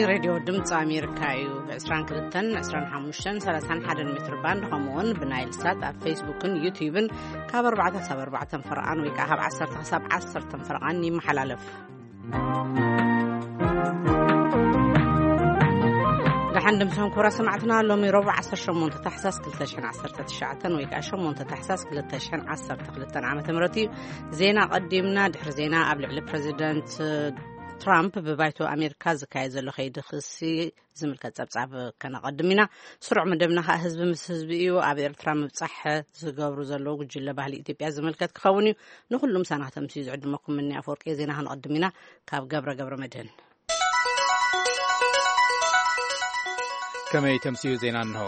ሬድዮ ድምፂ ኣሜሪካ እዩ። ብ22፣ 25፣ 31 ሜትር ባንድ፣ ከምኡውን ብናይል ሳት ኣብ ፌስቡክን ዩቲዩብን ካብ ኣርባዕተ ክሳብ ኣርባዕተ ፈረቓን ወይ ከዓ ካብ ዓሰርተ ክሳብ ዓሰርተ ፈረቓን ይመሓላለፍ። ደሓን ድምፅኹም ክቡራት ሰማዕትና። ሎሚ ረቡዕ 18 ታሕሳስ 2019 ወይ ከዓ 8 ታሕሳስ 2012 ዓ ም እዩ። ዜና ቀዲምና። ድሕሪ ዜና ኣብ ልዕሊ ፕሬዚደንት ትራምፕ ብባይቶ ኣሜሪካ ዝካየድ ዘሎ ከይዲ ክሲ ዝምልከት ጸብጻብ ከነቐድም ኢና። ስሩዕ መደብና ከዓ ህዝቢ ምስ ህዝቢ እዩ። ኣብ ኤርትራ ምብጻሕ ዝገብሩ ዘለዉ ጉጅለ ባህሊ ኢትዮጵያ ዝምልከት ክኸውን እዩ። ንኹሉም ሳና ከተምስዩ ዝዕድመኩም ምኒ ኣፈወርቂ። ዜና ክንቐድም ኢና። ካብ ገብረ ገብረ መድህን። ከመይ ተምስዩ ዜና እንሆ።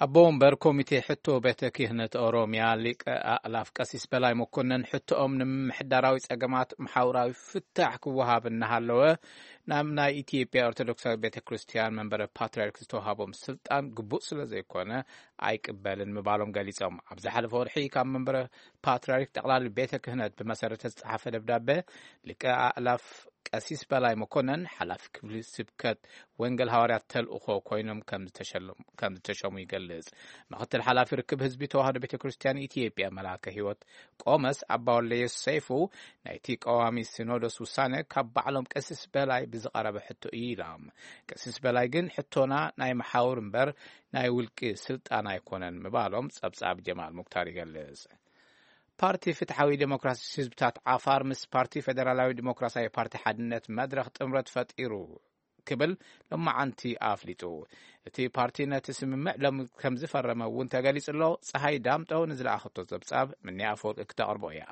ኣቦ ወንበር ኮሚቴ ሕቶ ቤተ ክህነት ኦሮሚያ ሊቀ ኣእላፍ ቀሲስ በላይ መኮነን፣ ሕቶኦም ንምምሕዳራዊ ጸገማት መሓውራዊ ፍታሕ ክወሃብ እናሃለወ፣ ናብ ናይ ኢትዮጵያ ኦርቶዶክሳዊ ቤተ ክርስቲያን መንበረ ፓትርያርክ ዝተዋሃቦም ስልጣን ግቡእ ስለ ዘይኮነ ኣይቅበልን ምባሎም ገሊጾም። ኣብ ዝሓለፈ ወርሒ ካብ መንበረ ፓትርያርክ ጠቕላሊ ቤተ ክህነት ብመሰረት ዝተጻሓፈ ደብዳበ፣ ሊቀ ኣእላፍ ቀሲስ በላይ መኮነን ሓላፊ ክፍሊ ስብከት ወንጌል ሃዋርያት ተልእኾ ኮይኖም ከም ዝተሸለሙ፣ ከም ዝተሸሙ ይገልጽ። ምኽትል ሓላፊ ርክብ ህዝቢ ተዋህዶ ቤተ ክርስቲያን ኢትዮጵያ መልኣከ ህይወት ቆመስ ኣባ ወልደየሱስ ሰይፉ፣ ናይቲ ቀዋሚ ሲኖዶስ ውሳነ ካብ ባዕሎም ቀሲስ በላይ ብዝቐረበ ሕቶ እዩ ኢሎም። ቀሲስ በላይ ግን ሕቶና ናይ መሓውር እምበር ናይ ውልቂ ስልጣን ኣይኮነን ምባሎም ጸብጻብ ጀማል ሙክታር ይገልጽ። ፓርቲ ፍትሓዊ ዴሞክራሲ ህዝብታት ዓፋር ምስ ፓርቲ ፌደራላዊ ዴሞክራሲያዊ ፓርቲ ሓድነት መድረኽ ጥምረት ፈጢሩ ክብል ሎማዓንቲ ኣፍሊጡ። እቲ ፓርቲ ነቲ ስምምዕ ሎም ከም ዝፈረመ እውን ተገሊጹ ኣሎ። ፀሃይ ዳምጠው ንዝለኣኸቶ ጸብጻብ ምንያ ኣፈወርቂ ክተቕርቦ እያ።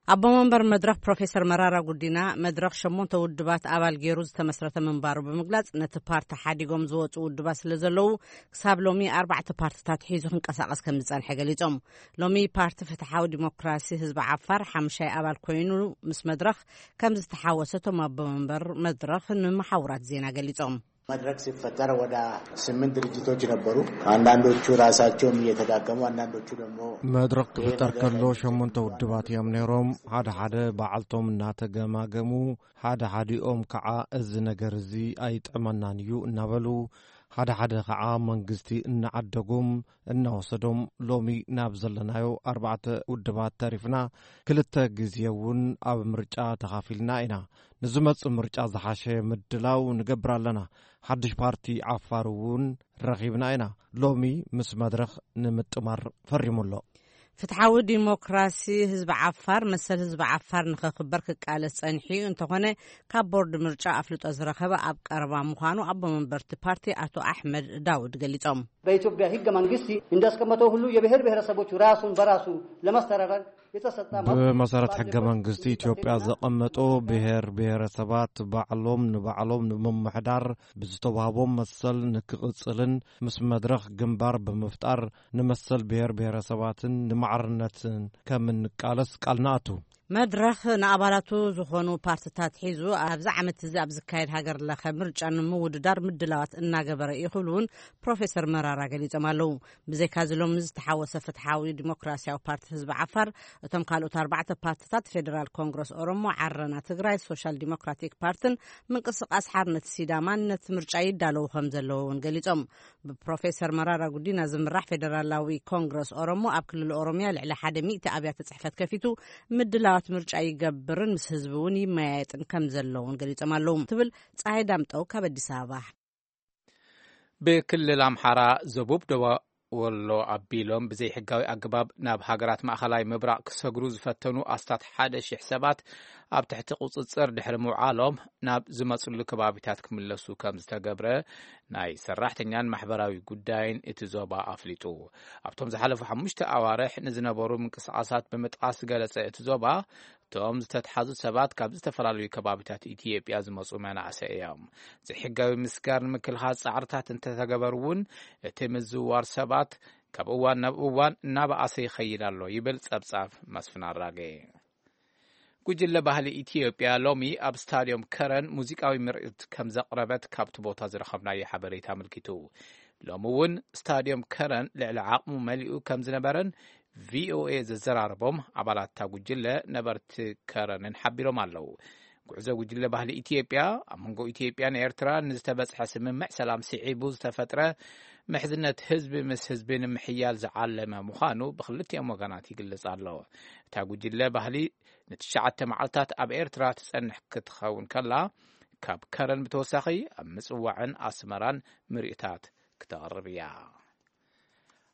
ኣቦ መንበር መድረኽ ፕሮፌሰር መራራ ጉዲና፣ መድረኽ ሸሞንተ ውድባት ኣባል ገይሩ ዝተመስረተ ምንባሩ ብምግላጽ፣ ነቲ ፓርቲ ሓዲጎም ዝወጹ ውድባት ስለ ዘለዉ፣ ክሳብ ሎሚ ኣርባዕተ ፓርትታት ሒዙ ክንቀሳቐስ ከም ዝጸንሐ ገሊጾም። ሎሚ ፓርቲ ፍትሓዊ ዲሞክራሲ ህዝቢ ዓፋር ሓምሻይ ኣባል ኮይኑ ምስ መድረኽ ከም ዝተሓወሰ እቶም ኣቦ መንበር መድረኽ ንመሓውራት ዜና ገሊጾም። መድረክ ሲፈጠር ወደ ስምንት ድርጅቶች ነበሩ። አንዳንዶቹ ራሳቸውም እየተዳከሙ፣ አንዳንዶቹ ደግሞ መድረኽ ክፍጠር ከሎ ሸሞንተ ውድባት እዮም ነይሮም። ሓደ ሓደ ባዕልቶም እናተገማገሙ፣ ሓደ ሓዲኦም ከዓ እዚ ነገር እዚ ኣይጥዕመናን እዩ እናበሉ፣ ሓደ ሓደ ከዓ መንግስቲ እናዓደጎም እናወሰዶም፣ ሎሚ ናብ ዘለናዮ ኣርባዕተ ውድባት ተሪፍና። ክልተ ግዜ እውን ኣብ ምርጫ ተኻፊልና ኢና። ንዝመጽእ ምርጫ ዝሓሸ ምድላው ንገብር ኣለና። ሓድሽ ፓርቲ ዓፋር እውን ረኺብና ኢና። ሎሚ ምስ መድረኽ ንምጥማር ፈሪሙ ኣሎ። ፍትሓዊ ዲሞክራሲ ህዝቢ ዓፋር መሰል ህዝቢ ዓፋር ንኸኽበር ክቃለስ ጸኒሑ እዩ። እንተኾነ፣ ካብ ቦርድ ምርጫ ኣፍልጦ ዝረኸበ ኣብ ቀረባ ምዃኑ ኣቦ መንበርቲ ፓርቲ ኣቶ ኣሕመድ ዳውድ ገሊጾም። በኢትዮጵያ ህገ መንግስቲ እንዳስቀመጠው ሁሉ የብሔር ብሔረሰቦች ራሱን በራሱ ለማስተዳደር የተሰጠ መብት ብመሰረት ሕገ መንግስቲ ኢትዮጵያ ዘቐመጦ፣ ብሔር ብሔረሰባት ባዕሎም ንባዕሎም ንምምሕዳር ብዝተዋህቦም መሰል ንክቕጽልን ምስ መድረኽ ግንባር ብምፍጣር ንመሰል ብሔር ብሔረሰባትን ንማዕርነትን ከም እንቃለስ ቃል ንኣቱ። መድረኽ ንኣባላቱ ዝኾኑ ፓርትታት ሒዙ ኣብዚ ዓመት እዚ ኣብ ዝካየድ ሃገር ለኸ ምርጫ ንምውድዳር ምድላዋት እናገበረ እዩ ክብሉ እውን ፕሮፌሰር መራራ ገሊጾም ኣለዉ። ብዘይካዚ ሎሚ ዝተሓወሰ ፍትሓዊ ዲሞክራሲያዊ ፓርቲ ህዝቢ ዓፋር፣ እቶም ካልኦት ኣርባዕተ ፓርትታት ፌደራል ኮንግረስ ኦሮሞ፣ ዓረና ትግራይ፣ ሶሻል ዲሞክራቲክ ፓርትን ምንቅስቃስ ሓርነት ሲዳማን ነቲ ምርጫ ይዳለዉ ከም ዘለዉ እውን ገሊጾም። ብፕሮፌሰር መራራ ጉዲና ዝምራሕ ፌደራላዊ ኮንግረስ ኦሮሞ ኣብ ክልል ኦሮሚያ ልዕሊ ሓደ ሚእቲ ኣብያተ ጽሕፈት ከፊቱ ምድላዋት ምርጫ ይገብርን ምስ ህዝቢ እውን ይመያየጥን ከም ዘለውን ገሊጾም ኣለዉ ትብል ፀሐይ ዳምጠው ካብ ኣዲስ ኣበባ። ብክልል ኣምሓራ ዘቡብ ደቡብ ወሎ ኣቢሎም ብዘይሕጋዊ ኣገባብ ናብ ሃገራት ማእኸላይ ምብራቕ ክሰግሩ ዝፈተኑ ኣስታት ሓደ ሺሕ ሰባት ኣብ ትሕቲ ቁፅፅር ድሕሪ ምውዓሎም ናብ ዝመፅሉ ከባቢታት ክምለሱ ከም ዝተገብረ ናይ ሰራሕተኛን ማሕበራዊ ጉዳይን እቲ ዞባ ኣፍሊጡ። ኣብቶም ዝሓለፉ ሓሙሽተ ኣዋርሕ ንዝነበሩ ምንቅስቓሳት ብምጥቓስ ዝገለጸ እቲ ዞባ፣ እቶም ዝተትሓዙ ሰባት ካብ ዝተፈላለዩ ከባቢታት ኢትዮጵያ ዝመፁ መናእሰይ እዮም። ዘይሕጋዊ ምስጋር ንምክልኻል ጻዕርታት እንተተገበሩ እውን፣ እቲ ምዝውዋር ሰባት ካብ እዋን ናብ እዋን እናበኣሰ ይኸይድ ኣሎ ይብል ጸብጻብ መስፍን ኣራጌ። ጉጅለ ባህሊ ኢትዮጵያ ሎሚ ኣብ ስታድዮም ከረን ሙዚቃዊ ምርኢት ከም ዘቕረበት ካብቲ ቦታ ዝረኸብናዮ ሓበሬታ ኣመልኪቱ። ሎሚ እውን ስታድዮም ከረን ልዕሊ ዓቕሙ መሊኡ ከም ዝነበረን ቪኦኤ ዘዘራረቦም ኣባላት እታ ጉጅለ ነበርቲ ከረንን ሓቢሮም ኣለዉ። ጉዕዞ ጉጅለ ባህሊ ኢትዮጵያ ኣብ መንጎ ኢትዮጵያን ኤርትራን ንዝተበጽሐ ስምምዕ ሰላም ስዒቡ ዝተፈጥረ ምሕዝነት ህዝቢ ምስ ህዝቢ ንምሕያል ዝዓለመ ምዃኑ ብክልቲኦም ወገናት ይግለጽ ኣሎ። እታ ጉጅለ ባህሊ ንትሽዓተ መዓልታት ኣብ ኤርትራ ትጸንሕ ክትኸውን ከላ፣ ካብ ከረን ብተወሳኺ ኣብ ምጽዋዕን ኣስመራን ምርኢታት ክተቕርብ እያ።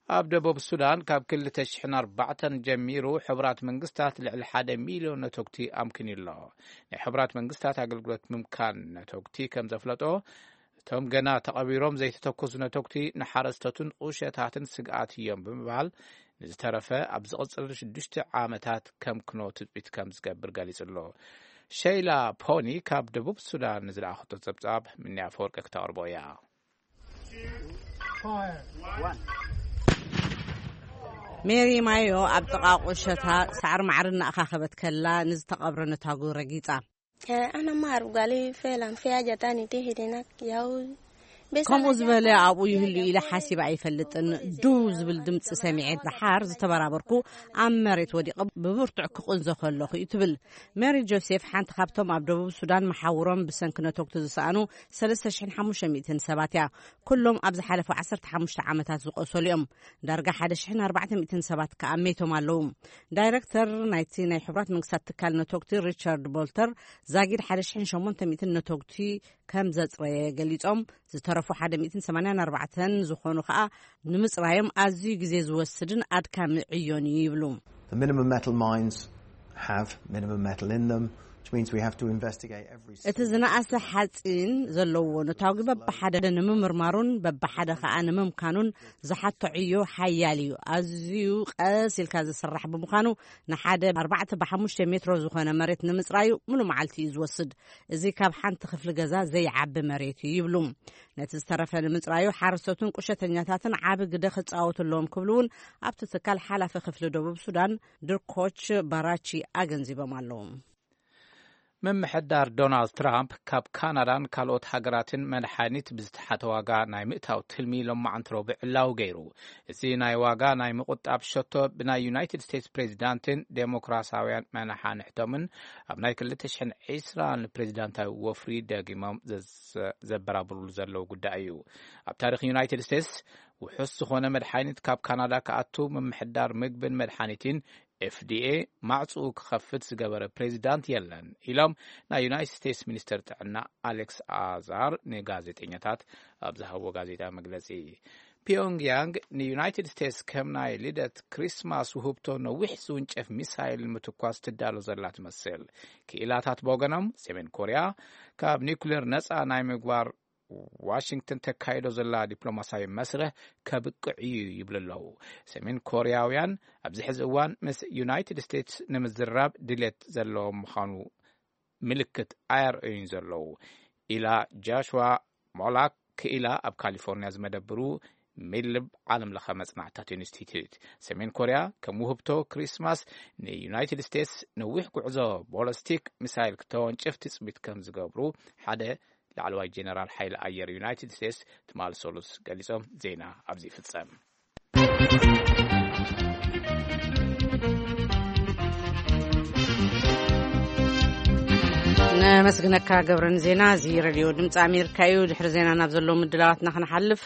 ኣብ ደቡብ ሱዳን ካብ ክልተ ሽሕን ኣርባዕተን ጀሚሩ ሕቡራት መንግስታት ልዕሊ ሓደ ሚልዮን ነተጉቲ ኣምኪኑ ኣሎ። ናይ ሕቡራት መንግስታት ኣገልግሎት ምምካን ነተጉቲ ከም ዘፍለጦ፣ እቶም ገና ተቐቢሮም ዘይተተኮሱ ነተጉቲ ንሓረስቶትን ቁሸታትን ስግኣት እዮም ብምባል፣ ንዝተረፈ ኣብ ዝቕጽል ሽዱሽተ ዓመታት ከምክኖ ትጽቢት ከም ዝገብር ገሊጹ ኣሎ። ሸይላ ፖኒ ካብ ደቡብ ሱዳን ንዝለኣኸቶ ጸብጻብ ምንያ ኣፈወርቂ ክተቕርቦ እያ። ሜሪ ማዮ ኣብ ጥቓ ቁሸታ ሳዕሪ ማዕሪ እናኣኻኸበት ከላ ንዝተቐብረ ነታጉ ረጊጻ። ኣነ ማር ጓሊ ፌላን ፊያጃታኒ ትሄደና ያው ከምኡ ዝበለ ኣብኡ ይህሉ ኢለ ሓሲብ ኣይፈልጥን። ድው ዝብል ድምፂ ሰሚዐ ደሓር ዝተበራበርኩ ኣብ መሬት ወዲቐ ብብርቱዕ ክቕንዞ ከለኹ እዩ ትብል። ሜሪ ጆሴፍ ሓንቲ ካብቶም ኣብ ደቡብ ሱዳን መሓውሮም ብሰንኪ ነተጉቲ ዝሰኣኑ ሰለስተ ሽሕን ሓሙሽተ ሚእትን ሰባት እያ። ኩሎም ኣብ ዝሓለፉ ዓሰርተ ሓሙሽተ ዓመታት ዝቖሰሉ እዮም። ዳርጋ ሓደ ሽሕን ኣርባዕተ ሚእትን ሰባት ከኣ ሜቶም ኣለዉ። ዳይረክተር ናይቲ ናይ ሕቡራት መንግስታት ትካል ነተጉቲ ሪቻርድ ቦልተር ዛጊድ ሓደ ሽሕን ሸሞንተ ሚእትን ነተጉቲ ከም ዘጽረየ ገሊጾም፣ ዝተረፉ ሓደ ሚእትን ሰማንያን ኣርባዕተን ዝኾኑ ከኣ ንምጽራዮም ኣዝዩ ግዜ ዝወስድን ኣድካሚ ዕዮን እዩ ይብሉ። The minimum metal mines have minimum metal in them, which means we have to investigate every እቲ ዝነኣሰ ሓፂን ዘለዎ ነታጉ በብሓደ ንምምርማሩን በብሓደ ከዓ ንምምካኑን ዝሓቶ ዕዮ ሓያል እዩ። ኣዝዩ ቀስ ኢልካ ዝስራሕ ብምዃኑ ንሓደ ኣርባዕተ ብሓሙሽተ ሜትሮ ዝኾነ መሬት ንምፅራዩ ሙሉ መዓልቲ እዩ ዝወስድ። እዚ ካብ ሓንቲ ክፍሊ ገዛ ዘይዓቢ መሬት እዩ ይብሉ። ነቲ ዝተረፈ ንምፅራዩ ሓረስቶትን ቁሸተኛታትን ዓቢ ግደ ክፃወቱ ኣለዎም ክብሉ እውን ኣብቲ ትካል ሓላፊ ክፍሊ ደቡብ ሱዳን ድርኮች ባራቺ ኣገንዚቦም ኣለዉ። ምምሕዳር ዶናልድ ትራምፕ ካብ ካናዳን ካልኦት ሃገራትን መድሓኒት ብዝተሓተ ዋጋ ናይ ምእታው ትልሚ ሎማዓንቲ ረቡዕ ዕላዊ ገይሩ። እዚ ናይ ዋጋ ናይ ምቁጣብ ሸቶ ብናይ ዩናይትድ ስቴትስ ፕሬዚዳንትን ዴሞክራሲያውያን መናሓንሕቶምን ኣብ ናይ ክልተ ሽሕን ዕስራን ፕሬዚዳንታዊ ወፍሪ ደጊሞም ዘበራብሩሉ ዘለዉ ጉዳይ እዩ። ኣብ ታሪኽ ዩናይትድ ስቴትስ ውሑስ ዝኾነ መድሓኒት ካብ ካናዳ ክኣቱ ምምሕዳር ምግብን መድሓኒትን ኤፍዲኤ ማዕፅኡ ክኸፍት ዝገበረ ፕሬዚዳንት የለን ኢሎም ናይ ዩናይትድ ስቴትስ ሚኒስተር ጥዕና ኣሌክስ ኣዛር ንጋዜጠኛታት ኣብ ዝሃብዎ ጋዜጣ መግለፂ። ፒዮንግያንግ ንዩናይትድ ስቴትስ ከም ናይ ልደት ክሪስማስ ውህብቶ ነዊሕ ዝውንጨፍ ሚሳይል ንምትኳስ ትዳሎ ዘላ ትመስል። ክኢላታት ብወገኖም ሰሜን ኮርያ ካብ ኒውክሌር ነፃ ናይ ምግባር ዋሽንግተን ተካይዶ ዘላ ዲፕሎማሲያዊ መስርሕ ከብቅዕ እዩ ይብሉ ኣለዉ። ሰሜን ኮርያውያን ኣብዚ ሕዚ እዋን ምስ ዩናይትድ ስቴትስ ንምዝራብ ድሌት ዘለዎም ምዃኑ ምልክት ኣየርእዩን ዘለዉ ኢላ ጃሽዋ ሞላክ ክኢላ ኣብ ካሊፎርኒያ ዝመደብሩ ሚልብ ዓለም ለኸ መጽናዕታት ኢንስቲትዩት። ሰሜን ኮርያ ከም ውህብቶ ክሪስማስ ንዩናይትድ ስቴትስ ነዊሕ ጉዕዞ ቦለስቲክ ሚሳይል ክተወንጭፍ ትጽቢት ከም ዝገብሩ ሓደ ላዕለዋይ ጀነራል ሓይሊ ኣየር ዩናይትድ ስቴትስ ትማል ሰሉስ ገሊጾም። ዜና ኣብዚ ይፍጸም። ነመስግነካ ገብረን ዜና። እዚ ሬድዮ ድምፂ ኣሜሪካ እዩ። ድሕሪ ዜና ናብ ዘለዉ ምድላዋትና ክንሓልፍ፣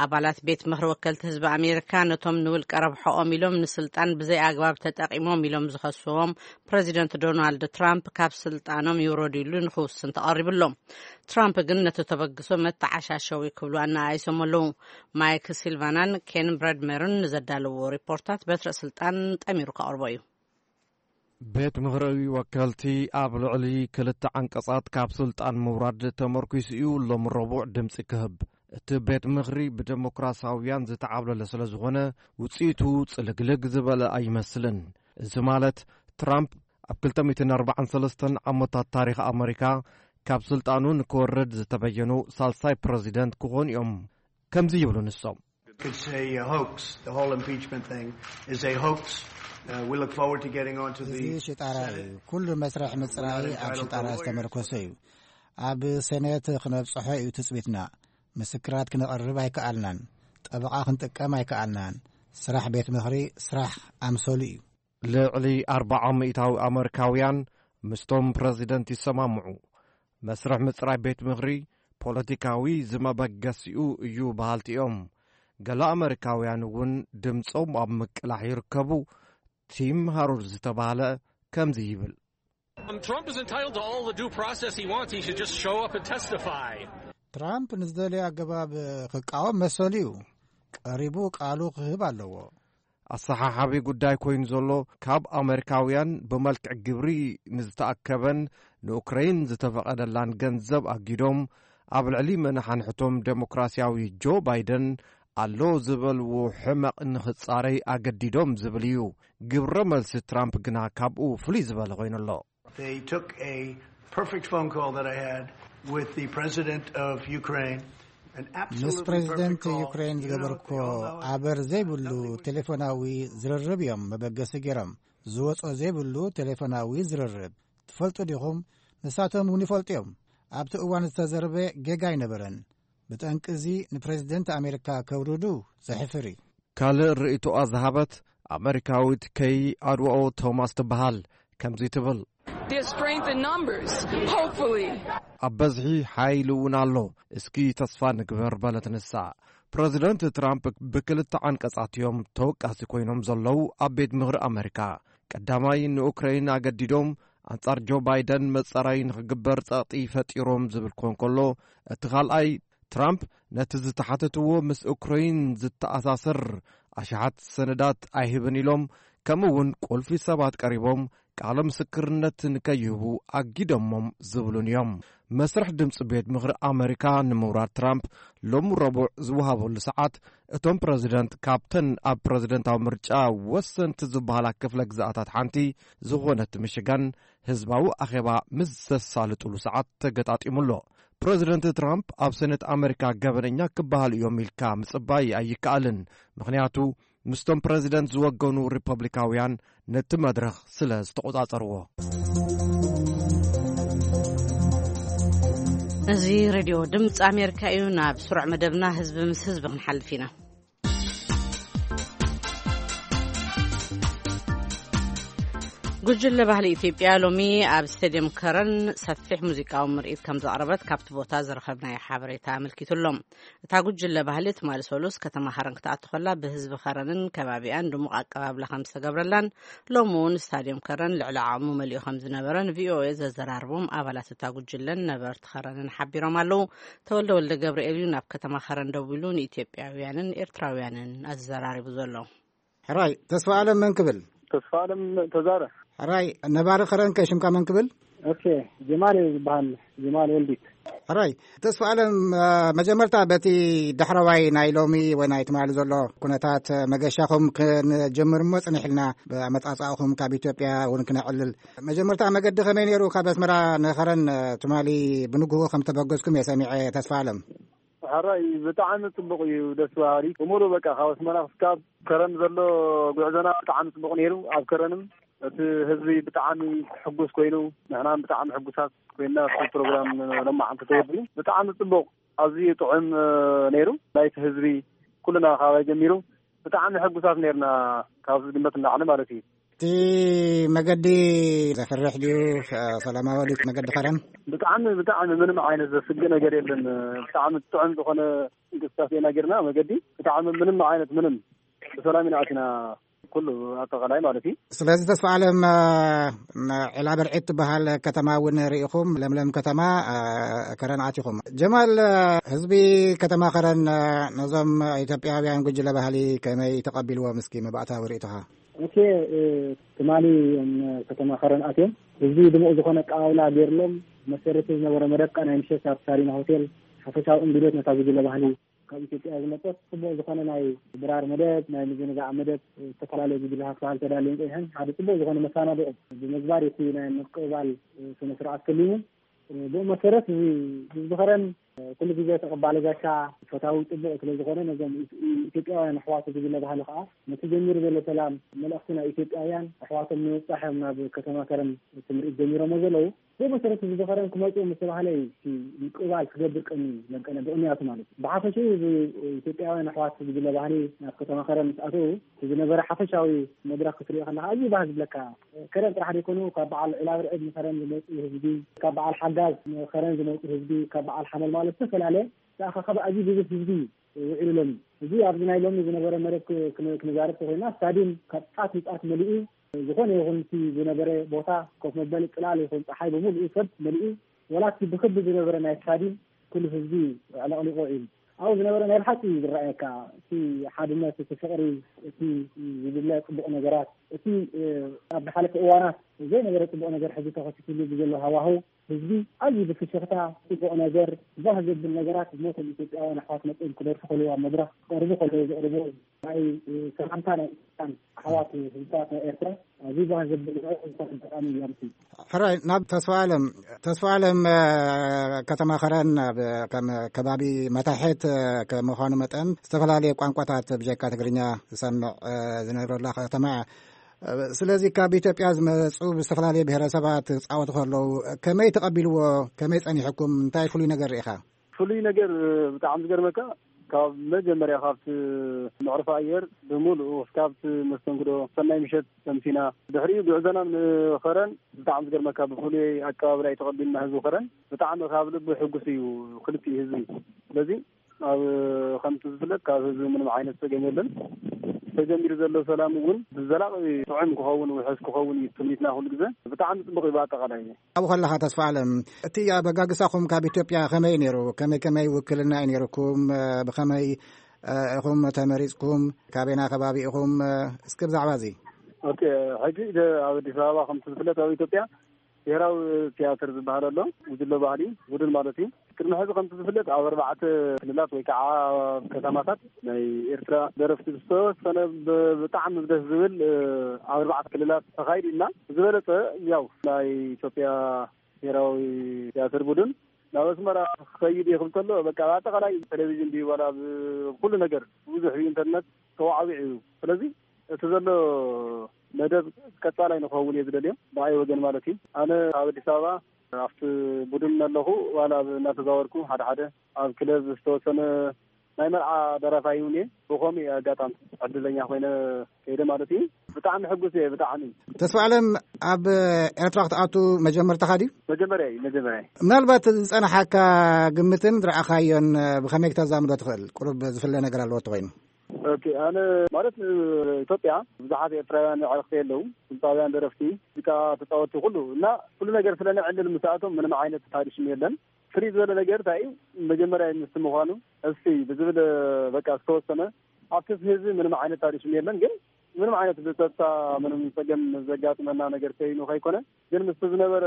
ኣባላት ቤት ምኽሪ ወከልቲ ህዝቢ ኣሜሪካ ነቶም ንውልቀ ረብሖኦም ኢሎም ንስልጣን ብዘይ ኣግባብ ተጠቂሞም ኢሎም ዝኸስዎም ፕረዚደንት ዶናልድ ትራምፕ ካብ ስልጣኖም ይውረዱ ኢሉ ንክውስን ተቐሪቡ ኣሎ። ትራምፕ ግን ነቲ ተበግሶ መተዓሻሸዊ ክብሉ ኣነኣይሶም ኣለዉ። ማይክ ሲልቫናን ኬን ብረድመርን ንዘዳለዎ ሪፖርታት በትረ ስልጣን ጠሚሩ ከቕርቦ እዩ። ቤት ምኽሪ ወከልቲ ኣብ ልዕሊ ክልተ ዓንቀጻት ካብ ስልጣን ምውራድ ተመርኲሱ እዩ ሎሚ ረቡዕ ድምጺ ክህብ። እቲ ቤት ምኽሪ ብደሞክራሲያውያን ዝተዓብለለ ስለ ዝኾነ ውጽኢቱ ጽልግልግ ዝበለ ኣይመስልን። እዚ ማለት ትራምፕ ኣብ ክልተ ሚእትን ኣርባዓን ሰለስተን ዓመታት ታሪኽ ኣመሪካ ካብ ስልጣኑ ንክወርድ ዝተበየኑ ሳልሳይ ፕረዚደንት ክኾኑ እዮም። ከምዚ ይብሉ ንሶም። It's a hoax. The whole impeachment thing is a hoax. Uh, we look forward to getting on to እዚ the ሽጣራ እዩ። ኩሉ መስርሕ ምጽራይ ኣብ ሽጣራ ዝተመርኮሰ እዩ። ኣብ ሴኔት ክነብጽሖ እዩ ትጽቢትና። ምስክራት ክነቕርብ ኣይከኣልናን። ጠበቓ ክንጥቀም ኣይከኣልናን። ስራሕ ቤት ምኽሪ ስራሕ ኣምሰሉ እዩ። ልዕሊ ኣርባዓ ሚእታዊ ኣመሪካውያን ምስቶም ፕረዚደንት ይሰማምዑ። መስርሕ ምጽራይ ቤት ምኽሪ ፖለቲካዊ ዝመበገሲኡ እዩ በሃልቲ እዮም። ገለ ኣመሪካውያን እውን ድምጾም ኣብ ምቅላሕ ይርከቡ። ቲም ሃሩር ዝተባህለ ከምዚ ይብል። Um, Trump is entitled to all the due process he wants. He should just show up and testify. ትራምፕ ንዝደለየ ኣገባብ ክቃወም መሰሉ እዩ። ቀሪቡ ቃሉ ክህብ ኣለዎ። ኣሰሓሓቢ ጉዳይ ኮይኑ ዘሎ፣ ካብ ኣመሪካውያን ብመልክዕ ግብሪ ንዝተኣከበን ንኡክረይን ዝተፈቐደላን ገንዘብ ኣጊዶም ኣብ ልዕሊ መናሓንሕቶም ዴሞክራሲያዊ ጆ ባይደን ኣሎ ዝበልዎ ሕመቕ ንኽጻረይ ኣገዲዶም ዝብል እዩ። ግብረ መልሲ ትራምፕ ግና ካብኡ ፍሉይ ዝበለ ኮይኑ ኣሎ። They took a perfect phone call that I had with the president of Ukraine. An ምስ absolutely ፕሬዚደንት perfect call. ዩክሬን You know, ዝገበርኩ they all know it. ኣበር ዘይብሉ Nothing we ቴሌፎናዊ ዝርርብ እዮም መበገሲ ገይሮም። ዝወጾ ዘይብሉ ቴሌፎናዊ ዝርርብ። ትፈልጡ ዲኹም? ንሳቶም እውን ይፈልጡ እዮም። ኣብቲ እዋን ዝተዘርበ ጌጋ ኣይነበረን። ብጠንቂ እዚ ንፕሬዚደንት ኣሜሪካ ከውርዱ ዘሕፍር እዩ። ካልእ ርእይቶኣ ዝሃበት ኣመሪካዊት ከይ ኣድዋኦ ቶማስ ትበሃል። ከምዚ ትብል። There's strength in numbers, hopefully. ኣብ በዝሒ ሓይሊ እውን ኣሎ። እስኪ ተስፋ ንግበር በለት ንሳ። ፕረዚደንት ትራምፕ ብክልተ ዓንቀጻት እዮም ተወቃሲ ኮይኖም ዘለዉ ኣብ ቤት ምኽሪ ኣመሪካ። ቀዳማይ ንኡክረይን ኣገዲዶም ኣንጻር ጆ ባይደን መጻራይ ንኽግበር ጸቕጢ ፈጢሮም ዝብል ክኾን ከሎ፣ እቲ ካልኣይ ትራምፕ ነቲ ዝተሓተትዎ ምስ ኡክረይን ዝተኣሳሰር ኣሽሓት ሰነዳት ኣይህብን ኢሎም፣ ከምኡ እውን ቁልፊ ሰባት ቀሪቦም ቃለ ምስክርነት ንከይህቡ ኣጊደሞም ዝብሉን እዮም። መስርሕ ድምፂ ቤት ምኽሪ ኣመሪካ ንምውራድ ትራምፕ ሎሚ ረቡዕ ዝወሃበሉ ሰዓት፣ እቶም ፕረዚደንት ካብተን ኣብ ፕረዚደንታዊ ምርጫ ወሰንቲ ዝበሃላ ክፍለ ግዝኣታት ሓንቲ ዝኾነት ሚሽጋን ህዝባዊ ኣኼባ ምስ ዘሳልጡሉ ሰዓት ተገጣጢሙ ኣሎ። ፕረዚደንት ትራምፕ ኣብ ሰነት ኣመሪካ ገበነኛ ክበሃሉ እዮም ኢልካ ምጽባይ ኣይከኣልን። ምኽንያቱ ምስቶም ፕረዚደንት ዝወገኑ ሪፐብሊካውያን ነቲ መድረኽ ስለ ዝተቖጻጸርዎ። እዚ ሬድዮ ድምፂ ኣሜሪካ እዩ። ናብ ስሩዕ መደብና ህዝቢ ምስ ህዝቢ ክንሓልፍ ኢና። ጉጅለ ባህሊ ኢትዮጵያ ሎሚ ኣብ ስቴድየም ከረን ሰፊሕ ሙዚቃዊ ምርኢት ከም ዘቕረበት ካብቲ ቦታ ዝረኸብናዮ ሓበሬታ ኣመልኪቱ ኣሎ። እታ ጉጅለ ባህሊ ትማሊ ሰሉስ ከተማ ከረን ክትኣቱ ከላ ብህዝቢ ከረንን ከባቢኣን ድሙቕ ኣቀባብላ ከም ዝተገብረላን ሎሚ እውን ስታድዮም ከረን ልዕሊ ዓቕሙ መሊኡ ከም ዝነበረን ቪኦኤ ዘዘራርቦም ኣባላት እታ ጉጅለን ነበርቲ ከረንን ሓቢሮም ኣለዉ። ተወልደ ወልደ ገብርኤል እዩ ናብ ከተማ ከረን ደዊሉ ንኢትዮጵያውያንን ኤርትራውያንን ኣዘራሪቡ ዘሎ። ሕራይ ተስፋ ኣለም መን ክብል? ተስፋ ኣለም ተዛረ። ሕራይ ነባሪ ከረን ከ ሽምካ መን ክብል? ኦኬ፣ ጀማል እዩ ዝበሃል፣ ጀማል ወልዲት። ሕራይ ተስፋ ኣለም፣ መጀመርታ በቲ ዳሕረዋይ ናይ ሎሚ ወይ ናይ ትማሊ ዘሎ ኩነታት መገሻኹም ክንጀምር እሞ ጽኒሕ ኢልና፣ ብኣመጻጽኣኹም ካብ ኢትዮጵያ እውን ክነዕልል። መጀመርታ መገዲ ከመይ ነይሩ? ካብ ኣስመራ ንኸረን ትማሊ ብንግሆ ከም ተበገዝኩም እየ ሰሚዐ። ተስፋ ኣለም። ሕራይ ብጣዕሚ ጽቡቕ እዩ፣ ደስ በሃሊ። ብምሉእ በቃ ካብ ኣስመራ ክሳብ ከረን ዘሎ ጉዕዞና ብጣዕሚ ጽቡቕ ነይሩ። ኣብ ከረንም እቲ ህዝቢ ብጣዕሚ ሕጉስ ኮይኑ፣ ንሕና ብጣዕሚ ሕጉሳት ኮይና፣ እቲ ፕሮግራም ሎማዓንቲ ተወዲኡ ብጣዕሚ ጽቡቕ፣ ኣዝዩ ጥዑም ነይሩ። ናይቲ ህዝቢ ኩልና ካባይ ጀሚሩ ብጣዕሚ ሕጉሳት ነርና፣ ካብ ዝግመት ንላዕሊ ማለት እዩ። እቲ መገዲ ዘፍርሕ ድዩ? ሰላማዊ ድዩ መገዲ ከረን? ብጣዕሚ ብጣዕሚ ምንም ዓይነት ዘስግእ ነገር የለን። ብጣዕሚ ጥዑም ዝኾነ እንቅስቃሴ ኢና ጌርና። መገዲ ብጣዕሚ ምንም ዓይነት ምንም ብሰላም ኢና ኣቲና፣ ኩሉ ኣጠቓላይ ማለት እዩ። ስለዚ ተስፋ ኣለም፣ ዒላ በርዒት ትበሃል ከተማ እውን ርኢኹም፣ ለምለም ከተማ ከረን ኣቲኹም። ጀማል፣ ህዝቢ ከተማ ከረን ነዞም ኢትዮጵያውያን ጉጅለ ባህሊ ከመይ ተቐቢልዎም? እስኪ መባእታዊ ርእይቶኻ። ኦኬ፣ ትማሊ እዮም ከተማ ከረን ኣትዮም። ህዝቢ ድሙቕ ዝኾነ ኣቀባብላ ገይርሎም። መሰረቱ ዝነበረ መደብ ናይ ምሸት ኣብ ሳሪና ሆቴል ሓፈሻዊ እንግዶት ነታ ጉጅለ ባህሊ ካብ ኢትዮጵያ ዝመጸት ጽቡቕ ዝኾነ ናይ ድራር መደብ፣ ናይ ምዝንጋዕ መደብ፣ ዝተፈላለዩ ጉጅለታት ክበሃል ተዳልየን ጸኒሐን ሓደ ጽቡቕ ዝኾነ መሳናድኦ ብምግባር እቲ ናይ ምቅባል ስነ ስርዓት ተሊሙ። ብኡ መሰረት እዚ ህዝቢ ከረን ኩሉ ግዜ ተቐባሊ ጋሻ ፈታዊ ጽቡቕ ስለ ዝኾነ ነዞም ኢትዮጵያውያን ኣሕዋቱ ጉጅለ ባህሊ ከኣ ነቲ ጀሚሩ ዘሎ ሰላም መልእኽቲ ናይ ኢትዮጵያውያን ኣሕዋቶም ንምብጻሕ እዮም ናብ ከተማ ከረን እቲ ምርኢት ጀሚሮሞ ዘለዉ። ብመሰረት ህዝቢ ከረን ክመፁ ምስ ተባህለ እዩ እቲ ምቅባል ክገብር ቀኒ መቀነ ብቕንያቱ ማለት እዩ። ብሓፈሽኡ እዚ ኢትዮጵያውያን ኣሕዋት ዝብለ ባህሊ ናብ ከተማ ከረን ምስ ኣተዉ እቲ ዝነበረ ሓፈሻዊ መድረኽ ክትሪኦ ከለካ ኣዝዩ ባህ ዝብለካ። ከረን ጥራሕ ዘይኮኑ ካብ በዓል ዒላብርዕድ ንከረን ዝመፁ ህዝቢ፣ ካብ በዓል ሓጋዝ ንከረን ዝመፁ ህዝቢ፣ ካብ በዓል ሓመል ማለት ዝተፈላለየ ተኣኻኸበ ኣዝዩ ብዙሕ ህዝቢ ውዒሉሎም። እዚ ኣብዚ ናይ ሎሚ ዝነበረ መደብ ክ- ክን- ክንዛረብ ተኮይና ስታድዩም ካብ ጫፍ ንጫፍ መሊኡ፣ ዝኾነ ይኹን እቲ ዝነበረ ቦታ ኮፍ መበሊ ጽላል ይኹን ጸሓይ ብምሉኡ ሰብ መሊኡ፣ ወላ እቲ ብክቢ ዝነበረ ናይ ስታድዩም ኩሉ ህዝቢ ኣዕለቕሊቑ ውዒሉ። ኣብኡ ዝነበረ ናይ ብሓቂ እዩ ዝረኣየካ እቲ ሓድነት፣ እቲ ፍቕሪ፣ እቲ ዝድለ ጽቡቕ ነገራት፣ እቲ ኣብ ዝሓለፈ እዋናት ዘይነበረ ጽቡቕ ነገር ሕዚ ተኸሲትሉ ብዘሎ ሃዋህው ህዝቢ ኣዝዩ ብፍሽኽታ ጽቡቕ ነገር፣ ባህ ዘብል ነገራት ዝሞቶም ኢትዮጵያውያን ኣሕዋት መጽኦም ክደርፉ ከለዉ ኣብ መድረኽ ክቐርቡ ከለዉ ዘቕርብዎ ናይ ሰላምታ ናይ ኢትዮጵያን ኣሕዋት ህዝብታት ናይ ኤርትራ ኣዝዩ ባህ ዘብል ዝበሃል ዝኾነ ኣጋጣሚ እዩ ኣምሲ። ሕራይ ናብ ተስፋ ኣለም። ተስፋ ኣለም ከተማ ከረን ኣብ ከም ከባቢ መታሕት ከምዃኑ መጠን ዝተፈላለዩ ቋንቋታት ብጀካ ትግርኛ ዝሰምዕ ዝነብረላ ከተማ እያ። ስለዚ ካብ ኢትዮጵያ ዝመፁ ብዝተፈላለየ ብሄረሰባት ክፃወቱ ከለዉ ከመይ ተቐቢልዎ? ከመይ ፀኒሕኩም? እንታይ ፍሉይ ነገር ርኢኻ? ፍሉይ ነገር ብጣዕሚ ዝገርመካ ካብ መጀመርያ ካብቲ መዕርፎ ኣየር ብምሉኡ ካብቲ መስተንግዶ ሰናይ ምሸት ሰምሲና ድሕሪኡ ጉዕዞና ንኸረን ብጣዕሚ ዝገርመካ ብፍሉይ ኣቀባብላ እዩ ተቐቢልና ህዝቢ ከረን ብጣዕሚ ካብ ልቢ ሕጉስ እዩ ክልቲኡ ህዝቢ ስለዚ ኣብ ከምቲ ዝፍለጥ ካብ ህዝቢ ምንም ዓይነት ፀገም የለን። ተጀሚሩ ዘሎ ሰላም እውን ብዘላቂ ጥዑም ክኸውን ውሕስ ክኸውን እዩ ትምኒትና ኩሉ ግዜ። ብጣዕሚ ፅቡቅ እዩ ብኣጠቃላይ። ኣብኡ ከለኻ ተስፋ ኣለም እቲ ኣበጋግሳኹም ካብ ኢትዮጵያ ከመይ ነይሩ? ከመይ ከመይ ውክልና እዩ ነይርኩም? ብኸመይ ኢኹም ተመሪፅኩም? ካበይና ከባቢ ኢኹም? እስኪ ብዛዕባ እዚ። ኦኬ፣ ሕጂ ኣብ ኣዲስ ኣበባ ከምቲ ዝፍለጥ ኣብ ኢትዮጵያ ብሄራዊ ቲያትር ዝበሃል ኣሎ። ጉጅለ ባህሊ ውድን ማለት እዩ። ቅድሚ ሕዚ ከምቲ ዝፍለጥ ኣብ ኣርባዕተ ክልላት ወይ ከዓ ኣብ ከተማታት ናይ ኤርትራ ደረፍቲ ዝተወሰነ ብጣዕሚ ደስ ዝብል ኣብ ኣርባዕተ ክልላት ተኻይዱ እና ዝበለፀ ያው ናይ ኢትዮጵያ ብሄራዊ ቲያትር ቡድን ናብ ኣስመራ ክኸይድ እየ ክብል ከሎ በቃ ኣጠቃላይ ቴሌቪዥን ድዩ ዋላ ኩሉ ነገር ብዙሕ ኢንተርነት ተዋዕዊዑ እዩ። ስለዚ እቲ ዘሎ መደብ ቀፃላይ ንክኸውን እየ ዝደልዮ ብኣይ ወገን ማለት እዩ። ኣነ ኣብ ኣዲስ ኣበባ ኣብቲ ቡድን ኣለኹ ዋላ እናተዛወርኩ ሓደ ሓደ ኣብ ክለብ ዝተወሰነ ናይ መርዓ ደራፋይ እውን እየ። ብኸምኡ ኣጋጣሚ ዕድለኛ ኮይነ ከይደ ማለት እዩ። ብጣዕሚ ሕጉስ እየ ብጣዕሚ። ተስፋ ኣለም ኣብ ኤርትራ ክትኣቱ መጀመርታኻ ድዩ? መጀመርያ እዩ መጀመርያ። ምናልባት ዝፀናሓካ ግምትን ዝረኣኻዮን ብኸመይ ክተዛምዶ ትኽእል? ቁሩብ ዝፍለ ነገር ኣለዎ ተኮይኑ። ኦኬ፣ ኣነ ማለት ኢትዮጵያ ብዙሓት ኤርትራውያን ኣዕርክቲ ኣለዉ፣ ድምፃውያን፣ ደረፍቲ፣ ሙዚቃ ተፃወትቲ ኩሉ እና ኩሉ ነገር ስለነዕልል ምስኣቶም ምንም ዓይነት ታሪሽም የለን። ፍልይ ዝበለ ነገር እንታይ እዩ? መጀመርያ ምስቲ ምዃኑ እስቲ ብዝብል በቃ ዝተወሰነ ኣብቲ ህዝቢ ምንም ዓይነት ታሪሽም የለን ግን ምንም ዓይነት ብፀጥታ ምንም ፀገም ዘጋጥመና ነገር ከይኑ ከይኮነ ግን ምስቲ ዝነበረ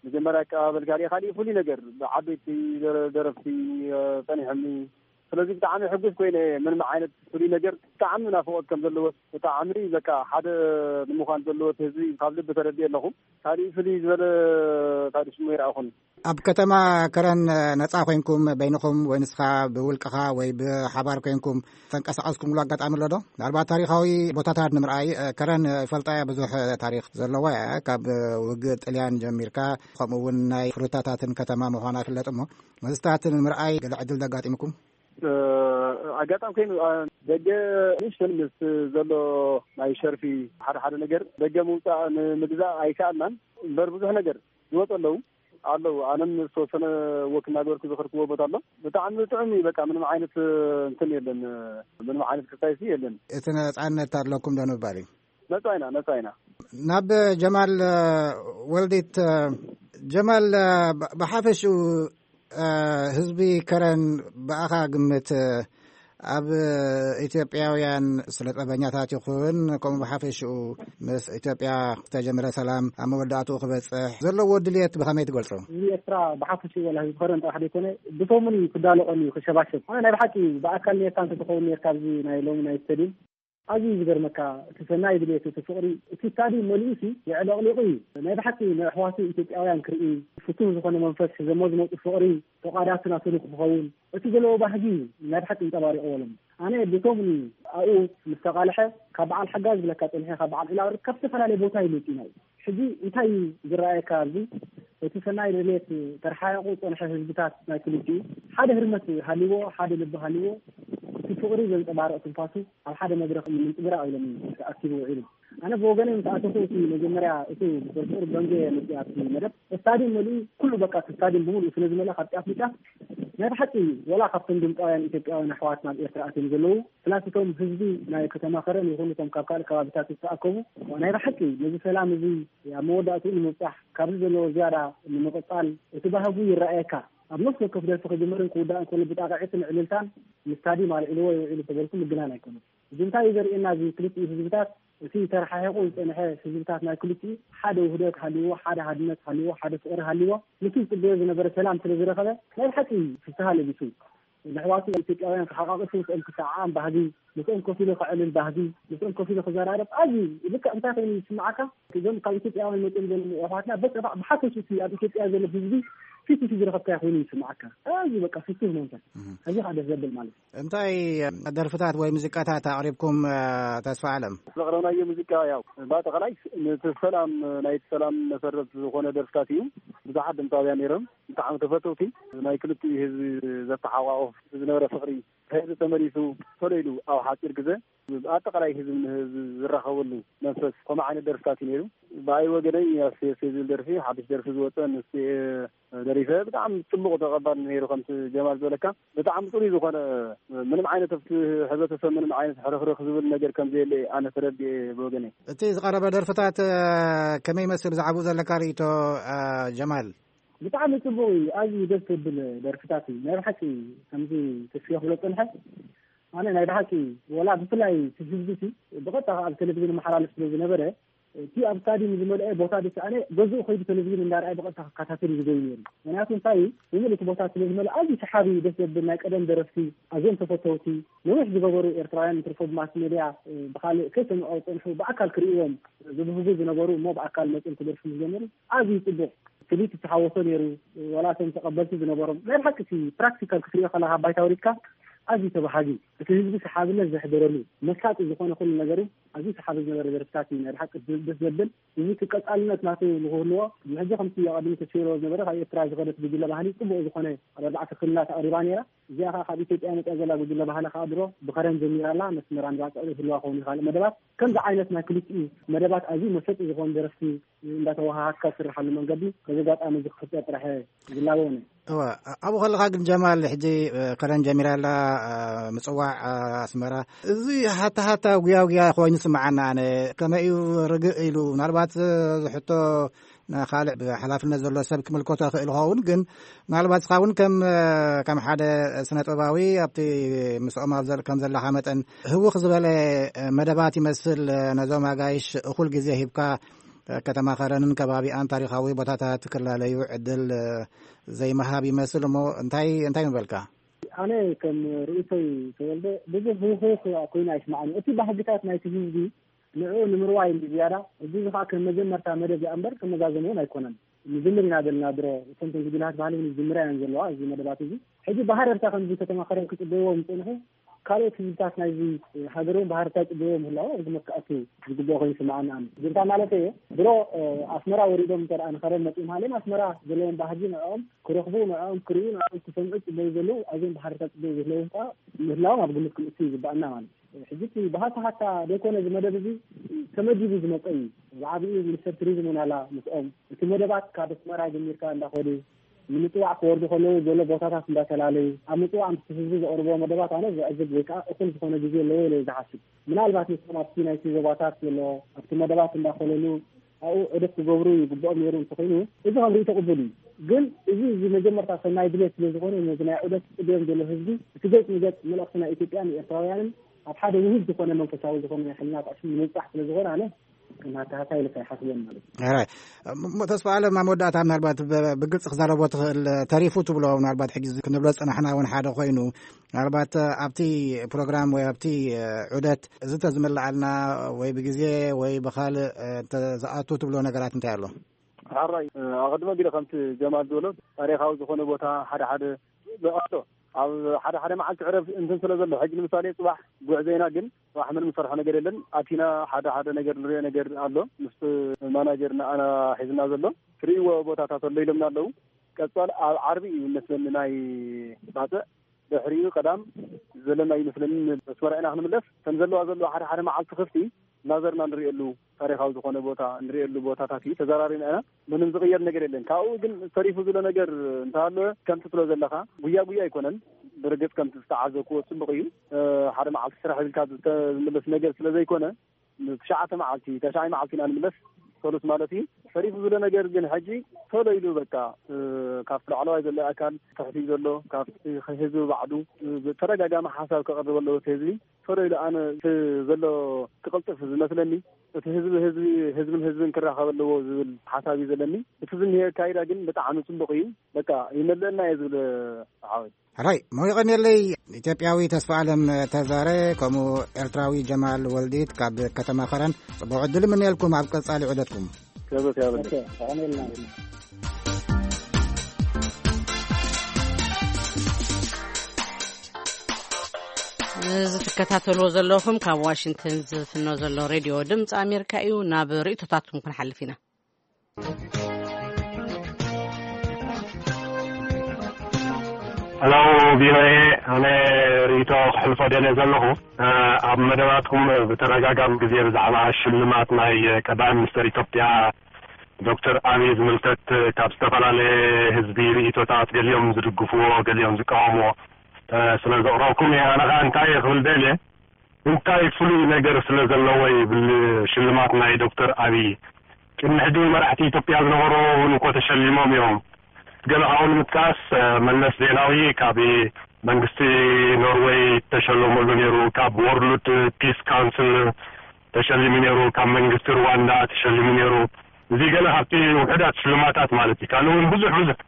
መጀመርያ ኣቀባበል ካሊእ ካሊእ ፍሉይ ነገር ብዓበይቲ ደረፍቲ ፀኒሖምኒ። ስለዚ ብጣዕሚ ሕጉስ ኮይነ ምንም ዓይነት ፍሉይ ነገር ብጣዕሚ ናፍቆት ከም ዘለዎ ብጣዕሚ በቃ ሓደ ንምዃን ዘለዎ ህዝቢ ካብ ልቢ ተረዲእ ኣለኹ። ካሊእ ፍልይ ዝበለ ታሪክ ሽሙ ይረኣኹን። ኣብ ከተማ ከረን ነፃ ኮይንኩም በይንኹም ወይ ንስኻ ብውልቅኻ ወይ ብሓባር ኮይንኩም ተንቀሳቐስኩምሉ ኣጋጣሚ ኣሎ ዶ? ምናልባት ታሪኻዊ ቦታታት ንምርኣይ ከረን ይፈልጣ እያ ብዙሕ ታሪክ ዘለዋ እያ ካብ ውግእ ጥልያን ጀሚርካ ከምኡ እውን ናይ ፍሩታታትን ከተማ ምዃና ይፍለጥ እሞ መስታት ንምርኣይ ገለ ዕድል ደጋጢምኩም? ኣጋጣሚ ኮይኑ ደገ ንሽተን ምስ ዘሎ ናይ ሸርፊ ሓደ ሓደ ነገር ደገ ምውፃእ ንምግዛእ ኣይከኣልናን እምበር ብዙሕ ነገር ዝወፁ ኣለዉ ኣለዉ ኣነም ዝተወሰነ ወክ እናገበርኩ ዝኸድክዎ ቦታ ኣሎ ብጣዕሚ ጥዑም እዩ በቃ ምንም ዓይነት እንትን የለን ምንም ዓይነት ክሳይሲ የለን። እቲ ነፃነት ኣለኩም ዶ ንምባል እዩ? ነፃ ኢና ነፃ ኢና። ናብ ጀማል ወልዲት ጀማል ብሓፈሽኡ ህዝቢ ከረን ብኣኻ ግምት ኣብ ኢትዮጵያውያን ስለ ጠበኛታት ይኹን ከምኡ ብሓፈሽኡ ምስ ኢትዮጵያ ዝተጀመረ ሰላም ኣብ መወዳእትኡ ክበፅሕ ዘለዎ ድልየት ብኸመይ ትገልፆ? ህዝቢ ኤርትራ ብሓፈሽኡ ወላ ህዝቢ ከረን ጥራሕ ዘይኮነ ብቶምን እዩ ክዳለቆን እዩ ክሸባሸብ። ኣነ ናይ ብሓቂ ብኣካል ኔርካ እንተትኸውን ኔርካ ኣብዚ ናይ ሎሚ ናይ ስተድዩም ኣዝዩ ዝገርመካ እቲ ሰናይ ድሌት እቲ ፍቕሪ እቲ ስታድዩም መሊኡሲ የዕለቕሊቑ እዩ ናይ ብሓቂ ንኣሕዋቱ ኢትዮጵያውያን ክርኢ ፍቱህ ዝኾነ መንፈስ ሒዘሞ ዝመፁ ፍቕሪ ተቋዳሲ ናቱ ንክኸውን እቲ ዘለዎ ባህጊ እዩ ናይ ብሓቂ እንፀባሪቕዎ ኣሎ ኣነ ብቶም ኣብኡ ምስ ተቓልሐ ካብ በዓል ሓጋ ዝብለካ ፀኒሐ ካብ በዓል ዒላብሪ ካብ ዝተፈላለየ ቦታ ይመፁ ኢና ሕጂ እንታይ እዩ ዝረኣየካ ኣብዚ? እቲ ሰናይ ድሌት ተረሓሒቑ ዝጸንሐ ህዝብታት ናይ ክልቲኡ ሓደ ህርመት ሃልዎ፣ ሓደ ልቢ ሃልዎ፣ እቲ ፍቕሪ ዘንጸባርቕ ትንፋሱ ኣብ ሓደ መድረኽ ንምንጽብራቕ ኢሎም ተኣኪቡ ውዒሉ። ኣነ ብወገነይ ምስ ኣተኹ እቲ መጀመርያ እቲ ብቁርቁር በንጌ መፅእ ኣብቲ መደብ ስታዲየም መሊኡ ኩሉ በቃ እቲ ስታዲየም ብምሉእ ስለ ዝመልኣ ካብቲ ኣፍልጫ ናይ ብሓቂ ወላ ካብቶም ድምፃውያን ኢትዮጵያውያን ኣሕዋት ናብ ኤርትራ ኣትዮም ዘለዉ ፕላስ እቶም ህዝቢ ናይ ከተማ ከረን ይኹን እቶም ካብ ካልእ ከባቢታት ዝተኣከቡ ናይ ብሓቂ ነዚ ሰላም እዚ ኣብ መወዳእትኡ ንምብፃሕ ካብዚ ዘለዎ ዝያዳ ንምቕፃል እቲ ባህጉ ይረኣየካ ኣብ ነፍሲ ወከፍ ደርፊ ክጅምርን ክውዳእን ከሎ ብጣቕዒትን ዕልልታን ንስታዲየም ኣልዒልዎ ይውዒሉ ተበልኩ ምግናን ኣይኮነን። እዚ እንታይ እዩ ዘርእየና? እዚ ክልቲኡ ህዝብታት እቲ ተረሓሒቑ ዝፀንሐ ህዝብታት ናይ ክልቲኡ ሓደ ውህደት ሃልዎ፣ ሓደ ሃድነት ሃልዎ፣ ሓደ ፍቕሪ ሃልዎ፣ ነቲ ዝፅበዮ ዝነበረ ሰላም ስለ ዝረኸበ ናይ ብሓቂ ፍስሃ ለቢሱ ንሕዋቱ ኢትዮጵያውያን ክሓቃቅፍ ምስኦም ክሰዓዓም ባህጊ ምስኦም ኮፍ ኢሉ ከዕልል ባህጊ ምስኦም ኮፍ ኢሉ ክዘራረብ ኣዝዩ ልክዕ እንታይ ኮይኑ ይስምዓካ? እዞም ካብ ኢትዮጵያውያን መፅኦም ዘለዉ ኣሕዋትና በቃ ብሓፈሽቲ ኣብ ኢትዮጵያ ዘሎ ህዝቢ ፊት ንፊት ዝረኸብካዮ ኮይኑ ይስምዓካ። ኣዝዩ በቃ ፍስህ መንፈስ እዚ ከዓ ደስ ዘብል ማለት እዩ። እንታይ ደርፍታት ወይ ሙዚቃታት ኣቕሪብኩም ተስፋ ኣለም? ዘቕረብናዮ ሙዚቃ ያው ብኣጠቓላይ ነቲ ሰላም ናይቲ ሰላም መሰረት ዝኾነ ደርፍታት እዩ። ብዙሓት ድምፃውያን ነይሮም ብጣዕሚ ተፈተውቲ ናይ ክልቲኡ ህዝቢ ዘተሓቋቑፍ ዝነበረ ፍቕሪ ህዝቢ ተመሊሱ ፈለይሉ ኣብ ሓፂር ግዜ ኣጠቃላይ ህዝቢ ንህዝቢ ዝራኸበሉ መንፈስ ከምኡ ዓይነት ደርፍታት እዩ ነይሩ። ብኣይ ወገነይ ኣስቴ ዝብል ደርፊ ሓድሽ ደርፊ ዝወፀ ምስ ደሪፈ ብጣዕሚ ፅቡቕ ተቐባል ነይሩ። ከምቲ ጀማል ዝበለካ ብጣዕሚ ፅሩይ ዝኾነ ምንም ዓይነት ኣብቲ ሕብረተሰብ ምንም ዓይነት ሕርኽርኽ ዝብል ነገር ከም ዘየለ ኣነ ተረዲኤ ብወገነይ። እቲ ዝቐረበ ደርፍታት ከመይ ይመስል ብዛዕባኡ ዘለካ ርእይቶ ጀማል? ብጣዕሚ ፅቡቕ እዩ። ኣዝዩ ደስ ዘብል ደርፍታት እዩ ናይ ብሓቂ። ከምዚ ተስፊ ክብሎ ፀንሐ ኣነ ናይ ብሓቂ ወላ ብፍላይ እቲ ህዝቢ እቲ ብቐጥታ ኣብ ቴሌቪዥን መሓላልፍ ስለ ዝነበረ እቲ ኣብ ስታዲየም ዝመልአ ቦታ ደስ ኣነ ገዝኡ ከይዱ ቴሌቪዥን እንዳርኣየ ብቐጥታ ክከታተል እዩ ዝገዩ ነይሩ። ምክንያቱ እንታይ እዩ ብምልእ እቲ ቦታ ስለ ዝመልእ ኣዝዩ ሰሓቢ ደስ ዘብል ናይ ቀደም ደረፍቲ ኣዝዮም ተፈተውቲ ነዊሕ ዝገበሩ ኤርትራውያን እንትርፎ ብማስ ሜድያ ብካልእ ከይሰምዖ ዝፀንሑ ብኣካል ክርእዎም ዝብህጉ ዝነበሩ እሞ ብኣካል መፅኦም ክደርፉ ዝጀመሩ ኣዝዩ ፅቡቕ ፍሊት ዝተሓወሶ ነይሩ። ዋላ እቶም ተቐበልቲ ዝነበሮም ናይ ብሓቂ እቲ ፕራክቲካል ክትሪኦ ከለካ ባይታ ወሪድካ ኣዝዩ ተባሃጊ እቲ ህዝቢ ሰሓብነት ዘሕደረሉ መሳጢ ዝኾነ ኩሉ ነገሩ ኣዝዩ ሰሓቢ ዝነበረ ደርፍታት እዩ ናይ ብሓቂ ደስ ዘብል። እዚ ቀጻልነት ናቱ ንክህልዎ ሕጂ ከምቲ ኣቐዲሙ ተስፊ ዝነበረ ካብ ኤርትራ ዝኸደት ጉጅለ ባህሊ ጽቡቕ ዝኾነ ኣብ ኣርባዕተ ክልላት ኣቕሪባ ነይራ። እዚኣ ከዓ ካብ ኢትዮጵያ መፅያ ዘላ ጉጅለ ባህሊ ከዓ ድሮ ብኸረን ጀሚራ ኣላ መስመራ እንዳፅዕዱ ህልዋ ከውን ካልእ መደባት ከምዚ ዓይነት ናይ ክልቲኡ መደባት ኣዝዩ መሰጢ ዝኾኑ ደረፍቲ እንዳተወሃሃድካ ዝስርሓሉ መንገዲ በዚ ኣጋጣሚ እዚ ክፍጠር ጥራሕ ዝላበው ነ እወ ኣብኡ ከለካ ግን ጀማል ሕጂ ከረን ጀሚራ ኣላ ምፅዋዕ ኣስመራ እዚ ሃታ ሃታ ጉያ ጉያ ኮይኑ ስምዓና ኣነ ከመይ እዩ ርግእ ኢሉ ምናልባት ዝሕቶ ንካልእ ብሓላፍነት ዘሎ ሰብ ክምልከቶ ይኽእል ይኸውን ግን ምናልባት እስኻ እውን ከም ከም ሓደ ስነ ጥበባዊ ኣብቲ ምስኦም ኣብ ከም ዘለኻ መጠን ህውኽ ዝበለ መደባት ይመስል ነዞም ኣጋይሽ እኹል ግዜ ሂብካ ከተማ ከረንን ከባቢኣን ታሪኻዊ ቦታታት ክላለዩ ዕድል ዘይምሃብ ይመስል እሞ እንታይ እንታይ ምበልካ ኣነ ከም ርእይቶይ ተወልደ ብዙሕ ህውኽ ኮይኑ ኣይስማዓኒ እቲ ባህግታት ናይቲ ህዝቢ ንዕኡ ንምርዋይ እንዲ ዝያዳ እዚ ከዓ ከም መጀመርታ መደብ እያ እምበር ክመዛዘም እውን ኣይኮነን። ንጅምር ኢና ዘለና ድሮ እተን ተንግዲላት ባህሊ እውን ዝጅምራ እየን ዘለዋ እዚ መደባት እዚ ሕጂ ብሃረርታ ከምዚ ከተማ ከረን ክፅበይዎም ዝፅንሑ ካልኦት ህዝብታት ናይዚ ሃገር እውን ብሃረርታ ይፅበይዎም ምህላዎም እዚ መካኣቱ ዝግብኦ ኮይኑ ይስምዓኒ ኣነ። ግን እንታይ ማለት እየ ድሮ ኣስመራ ወሪዶም እንተ ንኸረን መፂኦም ሃልዮም ኣስመራ ዘለዎም ባህጊ ንዕኦም ክረኽቡ ንዕኦም ክርእዩ ንዕኦም ክሰምዑ ፅበዩ ዘለዉ ኣዝዮም ብሃረርታ ፅበዩ ዘለዎም ከዓ ምህላዎም ኣብ ግምት ክንእቱ ይግባኣና ማለት እዩ። ሕጂ እቲ ብሃታሃታ ዘይኮነ እዚ መደብ እዚ ተመዲቡ ዝመፀ እዩ። ብዓብኡ ሚኒስተር ቱሪዝም እውን ኣላ ምስኦም እቲ መደባት ካብ ኣስመራ ጀሚርካ እንዳኸዱ ንምፅዋዕ ክወርዱ ከለዉ ዘሎ ቦታታት እንዳተላለዩ ኣብ ምፅዋዕ ምስ ህዝቢ ዘቕርብዎ መደባት ኣነ ዘዕዝብ ወይ ከዓ እኹል ዝኾነ ግዜ ኣለዎ ኢለ ዝሓስብ ምናልባት ንሶም ኣብቲ ናይቲ ዞባታት ዘሎ ኣብቲ መደባት እንዳኸለሉ ኣብኡ ዑደት ክገብሩ ይግብኦም ነይሩ እንተኾይኑ እዚ ከም ርእይቶ ቅቡል እዩ። ግን እዚ እዚ መጀመርታ ሰናይ ድሌት ስለ ዝኾነ ነዚ ናይ ዑደት ፅብዮም ዘሎ ህዝቢ እቲ ገፅ ንገፅ መልእኽቲ ናይ ኢትዮጵያን ኤርትራውያንን ኣብ ሓደ ውህድ ዝኾነ መንፈሳዊ ዝኾነ ናይ ሕልና ጣዕሲ ንምብፃሕ ስለ ዝኾነ ኣነ ከም ሃታሃታ ኢልካ ይሓስቦን ማለት እዩ። ሕራይ እሞ ተስፋ ኣለም ኣብ መወዳእታ ምናልባት ብግልፂ ክዛረቦ ትኽእል ተሪፉ ትብሎ ምናልባት ሕጂ ክንብሎ ዝፀናሕና እውን ሓደ ኮይኑ ምናልባት ኣብቲ ፕሮግራም ወይ ኣብቲ ዑደት እዚ ተዝምልኣልና ወይ ብግዜ ወይ ብካልእ ዝኣቱ ትብሎ ነገራት እንታይ ኣሎ? ሓራይ ኣቐድመ ጊለ ከምቲ ጀማል ዝበሎ ታሪኻዊ ዝኾነ ቦታ ሓደ ሓደ ኣሎ ኣብ ሓደ ሓደ መዓልቲ ዕረፍ እንትን ስለ ዘሎ፣ ሕጂ ንምሳሌ ጽባሕ ጉዕዞ ኢና፣ ግን ጽባሕ ምንም ንሰርሖ ነገር የለን። ኣቲና ሓደ ሓደ ነገር ንሪኦ ነገር ኣሎ፣ ምስ ማናጀር ንኣና ሒዝና ዘሎ። ትርእይዎ ቦታታት ኣሎ ኢሎምና ኣለዉ። ቀጻል ኣብ ዓርቢ እዩ መስለኒ ናይ ባጽዕ፣ ድሕሪኡ ቀዳም ዘለና ይመስለኒ። ኣስመራ ኢና ክንምለስ። ከም ዘለዋ ዘለዋ ሓደ ሓደ መዓልቲ ክፍቲ እናዘርና ንሪኤሉ፣ ታሪኻዊ ዝኾነ ቦታ ንሪኤሉ ቦታታት እዩ። ተዘራሪብና ኢና። ምንም ዝቕየር ነገር የለን። ካብኡ ግን ተሪፉ ዝሎ ነገር እንተሃለወ፣ ከምቲ ትብሎ ዘለኻ፣ ጉያ ጉያ ኣይኮነን። ብርግጽ ከምቲ ዝተዓዘብክዎ ጽቡቕ እዩ። እ፣ ሓደ መዓልቲ ስራሕ ኢልካ ዝተ-፣ ዝምለስ ነገር ስለ ዘይኮነ፣ ትሽዓተ መዓልቲ፣ ተሽዓይ መዓልቲ ኢና ንምለስ፣ ሰሉስ ማለት እዩ። ተሪፉ ዝሎ ነገር ግን ሕጂ ቶሎ ኢሉ በቃ፣ እ፣ ካብቲ ላዕለዋይ ዘሎ ኣካል፣ ትሕቲ ዘሎ፣ ካብቲ ህዝቢ ባዕዱ፣ እ፣ ብተደጋጋሚ ሓሳብ ከቕርብ ኣለዎ እቲ ህዝቢ። ቶሎ ኢሉ ኣነ እቲ ዘሎ ክቕልጥፍ ዝመስለኒ፣ እቲ ህዝቢ ህዝቢ፣ ህዝብን ህዝብን ክራኸብ ኣለዎ ዝብል ሓሳብ እዩ ዘለኒ። እቲ ዝኒሄ ኣካይዳ ግን ብጣዕሚ ጽቡቕ እዩ። በቃ ይመልአና እየ ዝብል፣ ሓወይ። ሕራይ፣ ሞይቐን የለይ። ኢትዮጵያዊ ተስፋ ኣለም ተዛረ፣ ከምኡ ኤርትራዊ ጀማል ወልዲት ካብ ከተማ ኸረን፣ ጽቡቕ ዕድል እምነየልኩም ኣብ ቀጻሊ ዑደትኩም። ክብረት ያብልኝ። እዚ ትከታተልዎ ዘለኹም ካብ ዋሽንግተን ዝፍኖ ዘሎ ሬድዮ ድምፂ ኣሜሪካ እዩ። ናብ ርእይቶታትኩም ክንሓልፍ ኢና። ሄሎ ቪኦኤ፣ ኣነ ርእይቶ ክሕልፎ ደልየ ዘለኹ፣ እ፣ ኣብ መደባትኩም ብተደጋጋሚ ግዜ ብዛዕባ ሽልማት ናይ ቀዳማይ ሚኒስተር ኢትዮጵያ ዶክተር ኣብይ ዝምልከት ካብ ዝተፈላለየ ህዝቢ ርእይቶታት፣ ገሊኦም ዝድግፍዎ፣ ገሊኦም ዝቃወምዎ፣ እ፣ ስለ ዘቕረብኩም እየ። ኣነ ኸኣ እንታይ እየ ክብል ደልየ፣ እንታይ ፍሉይ ነገር ስለ ዘለዎ ይብል ሽልማት ናይ ዶክተር ኣብይ? ቅድሚ ሕጂ እውን መራሕቲ ኢትዮጵያ ዝነበሩ እውን እኮ ተሸሊሞም እዮም። ገለ ካብኡ ንምጥቃስ፣ እ፣ መለስ ዜናዊ ካብ መንግስቲ ኖርወይ ተሸለመሉ ነይሩ፣ ካብ ወርልድ ፒስ ካውንስል ተሸሊሙ ነይሩ፣ ካብ መንግስቲ ሩዋንዳ ተሸሊሙ ነይሩ። እዚ ገለ ካብቲ ውሑዳት ሽልማታት ማለት እዩ። ካልእ እውን ብዙሕ ብዙሕ።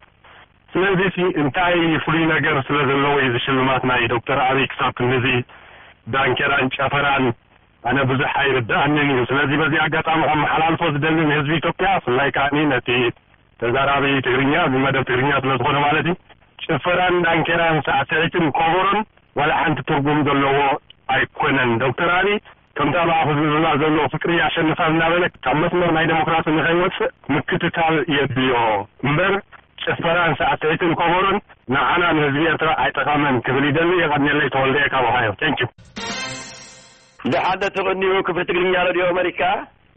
ስለዚ ሲ እንታይ ፍሉይ ነገር ስለ ዘለዎ እዩ እዚ ሽልማት ናይ ዶክተር ኣብይ ክሳብ ክንድዚ ዳንኬራን ጨፈራን? ኣነ ብዙሕ ኣይርድኣንን እዩ። ስለዚ በዚ ኣጋጣሚ ከመሓላልፎ ዝደሊ ንህዝቢ ኢትዮጵያ፣ ብፍላይ ከኣ ነቲ ተዛራቢ ትግርኛ፣ እዚ መደብ ትግርኛ ስለ ዝኾነ ማለት እዩ፣ ጭፈራን ዳንኬራን ሳዕስዒትን ኮቦሮን ዋላ ሓንቲ ትርጉም ዘለዎ ኣይኮነን። ዶክተር ኣብይ ከምታ ብኣፉ ዝብላ ዘሎ ፍቅሪ ያሸንፋል እናበለ ካብ መስመር ናይ ዴሞክራሲ ንኸይወፅእ ምክትታል የድልዮ እምበር ጭፈራን ሳዕስዒትን ኮቦሮን ንዓና ንህዝቢ ኤርትራ ኣይጠቐመን ክብል ይደሊ። የቐንየለይ። ተወልደ ካብ ኦሃዮ። Thank you። ደሓን ዶ ትቕንዩ ክፍሊ ትግርኛ ሬድዮ ኣመሪካ?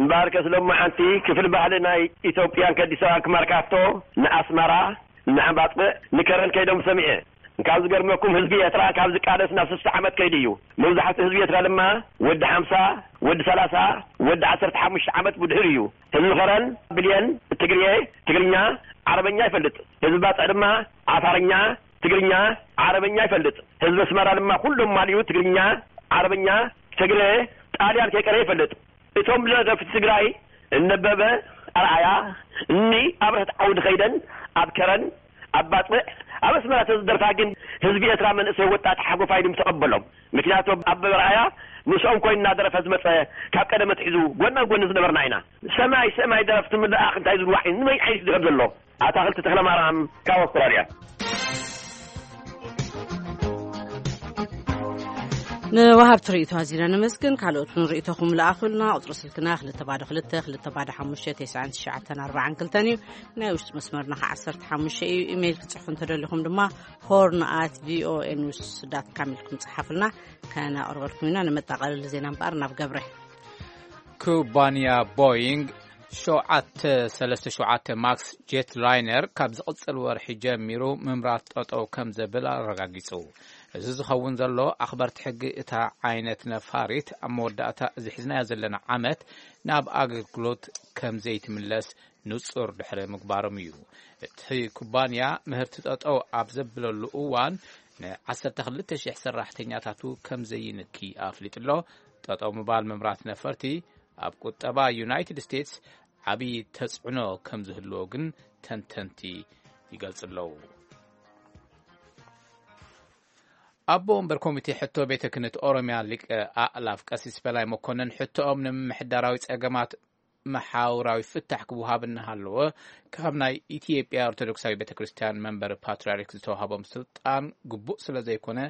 እምበኣርከስ ሎማዓንቲ ክፍሊ ባህሊ ናይ ኢትዮጵያን ከዲሰዋን ክማርካፍቶ ንኣስመራ፣ ንሓምባጥዕ፣ ንከረን ከይዶም ሰሚዐ። እንካብ ዝገርመኩም ህዝቢ ኤርትራ ካብ ዝቃለስ ናብ ስሳ ዓመት ከይዱ እዩ። መብዛሕትኡ ህዝቢ ኤርትራ ድማ ወዲ ሓምሳ፣ ወዲ ሰላሳ፣ ወዲ ዓሰርተ ሓሙሽተ ዓመት ብድሕር እዩ። ህዝቢ ከረን ብልየን ትግርየ፣ ትግርኛ፣ ዓረበኛ ይፈልጥ። ህዝቢ ባጽዕ ድማ ዓፋርኛ፣ ትግርኛ፣ ዓረበኛ ይፈልጥ። ህዝቢ ኣስመራ ድማ ኩሎም ማልዩ ትግርኛ፣ ዓረበኛ፣ ትግረ፣ ጣልያን ከይቀረ ይፈልጥ። እቶም ደረፍቲ ትግራይ እነበበ ኣርኣያ፣ እኒ ኣብረህት ዓውዲ ከይደን ኣብ ከረን ኣብ ባጽዕ ኣብ ኣስመራ ተዝደርፋ ግን ህዝቢ ኤርትራ መንእሰይ ወጣት ሓጎፋይ ድም ተቐበሎም። ምክንያቱ ኣበበ ኣርኣያ ምስኦም ኮይኑ እናደረፈ ዝመጸ ካብ ቀደም ኣትሒዙ ጎና ጎኒ ዝነበርና ኢና። ሰማይ ሰማይ ደረፍቲ ምልኣኽ እንታይ ዝብልዋ ዓይነት ንመይ ዓይነት ድረፍ ዘሎ ኣታኽልቲ ተኽለማርያም ካብ ኣውስትራልያ። ንወሃብቲ ርእይቶ ኣዚና ነመስግን። ካልኦት እውን ርእይቶኹም ለኣኹልና። ቁፅሪ ስልክና ክልተ ባዶ ክልተ ክልተ ባዶ ሓሙሽተ ተስዓን ትሽዓተን ኣርባዓን ክልተን እዩ። ናይ ውሽጢ መስመርና ከዓ ዓሰርተ ሓሙሽተ እዩ። ኢሜይል ክትፅሕፉ እንተደሊኹም ድማ ሆርን ኣት ቪኦኤ ኒውስ ዳት ካም ኢልኩም ፀሓፉልና። ከነቕርበልኩም ኢና። ንመጣቐለሊ ዜና እምበኣር ናብ ገብረ። ኩባንያ ቦይንግ ሸውዓተ ሰለስተ ሸውዓተ ማክስ ጄት ላይነር ካብ ዝቕጽል ወርሒ ጀሚሩ ምምራት ጠጠው ከም ዘብል ኣረጋጊጹ። እዚ ዝኸውን ዘሎ ኣኽበርቲ ሕጊ እታ ዓይነት ነፋሪት ኣብ መወዳእታ እዚ ሒዝናዮ ዘለና ዓመት ናብ ኣገልግሎት ከም ዘይትምለስ ንጹር ድሕሪ ምግባሮም እዩ። እቲ ኩባንያ ምህርቲ ጠጠው ኣብ ዘብለሉ እዋን ን ዓሰርተ ክልተ ሽሕ ሰራሕተኛታቱ ከም ዘይንኪ ኣፍሊጡ ኣሎ። ጠጠው ምባል ምምራት ነፈርቲ ኣብ ቁጠባ ዩናይትድ ስቴትስ ዓብዪ ተጽዕኖ ከም ዝህልዎ ግን ተንተንቲ ይገልጹ ኣለዉ። ኣቦ ወንበር ኮሚቴ ሕቶ ቤተ ክህነት ኦሮሚያ ሊቀ ኣእላፍ ቀሲስ በላይ መኮንን ሕቶኦም ንምምሕዳራዊ ጸገማት መሓውራዊ ፍታሕ ክወሃብ እናሃለወ ካብ ናይ ኢትዮጵያ ኦርቶዶክሳዊ ቤተ ክርስቲያን መንበር ፓትርያርክ ዝተዋሃቦም ስልጣን ግቡእ ስለ ዘይኮነ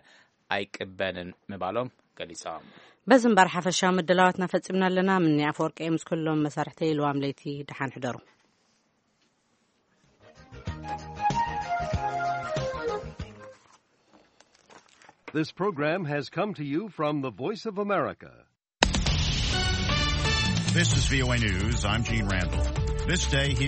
ኣይቅበልን ምባሎም ገሊጾም። በዚ እምበር ሓፈሻዊ ምድላዋትና ፈጺምና ኣለና። ምኒ ኣፈወርቂ ምስ ኩሎም መሳርሕተይ ልዋም ለይቲ ደሓን ሕደሩ። This program has come to you from the Voice of America. This is V O A News. I'm Gene Randall. This day here